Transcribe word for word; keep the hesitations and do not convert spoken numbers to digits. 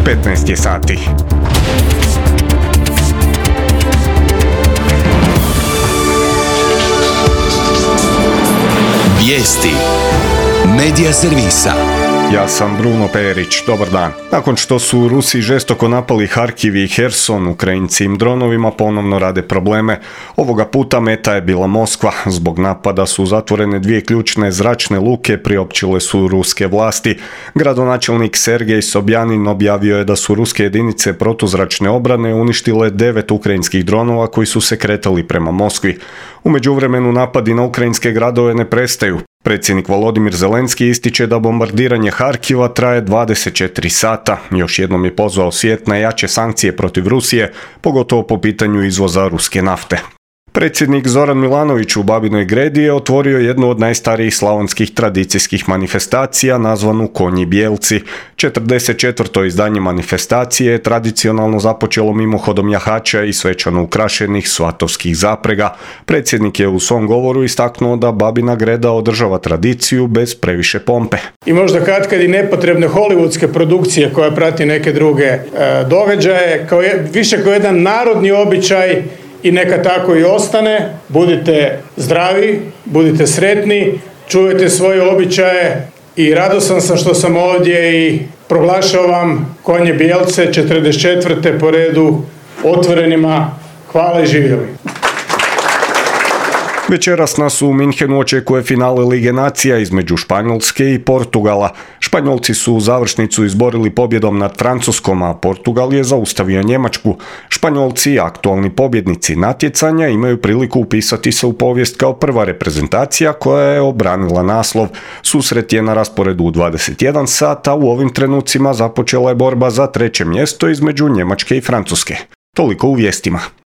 petnaest je sati. Vijesti Medija servisa. Ja sam Bruno Perić, dobar dan. Nakon što su Rusi žestoko napali Harkiv i Herson, Ukrajinci im dronovima ponovno rade probleme. Ovoga puta meta je bila Moskva. Zbog napada su zatvorene dvije ključne zračne luke, priopćile su ruske vlasti. Gradonačelnik Sergej Sobjanin objavio je da su ruske jedinice protuzračne obrane uništile devet ukrajinskih dronova koji su se kretali prema Moskvi. U međuvremenu napadi na ukrajinske gradove ne prestaju. Predsjednik Volodimir Zelenski ističe da bombardiranje Harkiva traje dvadeset četiri sata. Još jednom je pozvao svijet na jače sankcije protiv Rusije, pogotovo po pitanju izvoza ruske nafte. Predsjednik Zoran Milanović u Babinoj Gredi je otvorio jednu od najstarijih slavonskih tradicijskih manifestacija nazvanu Konji bijelci. četrdeset četvrto izdanje manifestacije je tradicionalno započelo mimohodom jahača i svečano ukrašenih svatovskih zaprega. Predsjednik je u svom govoru istaknuo da Babina Greda održava tradiciju bez previše pompe. I možda katkad i nepotrebne hollywoodske produkcije koja prati neke druge e, događaje, kao je, više kao jedan narodni običaj. I neka tako i ostane. Budite zdravi, budite sretni, čuvajte svoje običaje i radosan sam što sam ovdje i proglašavam Konje bijelce četrdeset četvrte po redu otvorenima. Hvala i živjeli. Večeras nas u Minhenu očekuje finale Lige nacija između Španjolske i Portugala. Španjolci su završnicu izborili pobjedom nad Francuskom, a Portugal je zaustavio Njemačku. Španjolci, aktualni pobjednici natjecanja, imaju priliku upisati se u povijest kao prva reprezentacija koja je obranila naslov. Susret je na rasporedu u dvadeset jedan sata, u ovim trenucima započela je borba za treće mjesto između Njemačke i Francuske. Toliko u vijestima.